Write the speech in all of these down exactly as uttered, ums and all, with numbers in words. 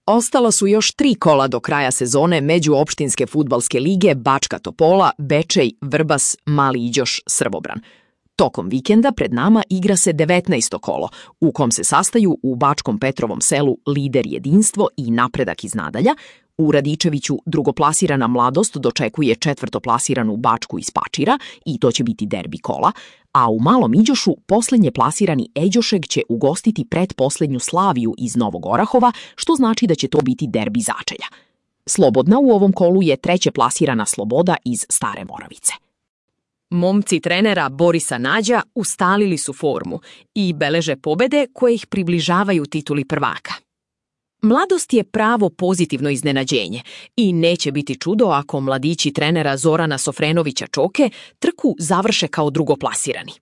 Ostala su još tri kola do kraja sezone međuopštinske fudbalske lige Bačka Topola, Bečej, Vrbas, Mali Iđoš, Srbobran. Tokom vikenda pred nama igra se devetnaesto kolo, u kom se sastaju u Bačkom Petrovom selu Lider Jedinstvo i Napredak iz Nadalja, u Radičeviću drugoplasirana Mladost dočekuje četvrtoplasiranu Bačku iz Pačira i to će biti derbi kola, a u Malom Iđošu poslednje plasirani Eđošeg će ugostiti pretposlednju Slaviju iz Novog Orahova, što znači da će to biti derbi Začelja. Slobodna u ovom kolu je treće plasirana Sloboda iz Stare Moravice. Momci trenera Borisa Nađa ustalili su formu i beleže pobede koje ih približavaju tituli prvaka. Mladost je pravo pozitivno iznenađenje i neće biti čudo ako mladići trenera Zorana Sofrenovića Čoke trku završe kao drugoplasirani.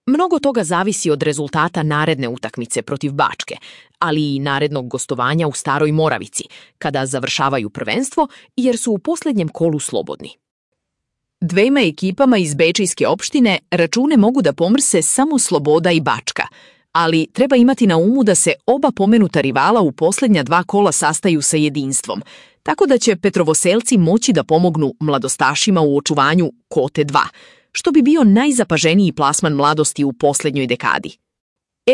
Mnogo toga zavisi od rezultata naredne utakmice protiv Bačke, ali i narednog gostovanja u Staroj Moravici, kada završavaju prvenstvo jer su u posljednjem kolu slobodni. Dvema ekipama iz Bečejske opštine račune mogu da pomrse samo Sloboda i Bačka, ali treba imati na umu da se oba pomenuta rivala u posljednja dva kola sastaju sa Jedinstvom, tako da će Petrovoselci moći da pomognu mladostašima u očuvanju kote dva, što bi bio najzapaženiji plasman Mladosti u posljednjoj dekadi.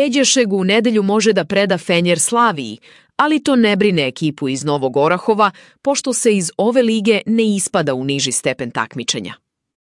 Eđošeg u nedelju može da preda Fenjer Slaviji, ali to ne brine ekipu iz Novog Orahova, pošto se iz ove lige ne ispada u niži stepen takmičenja.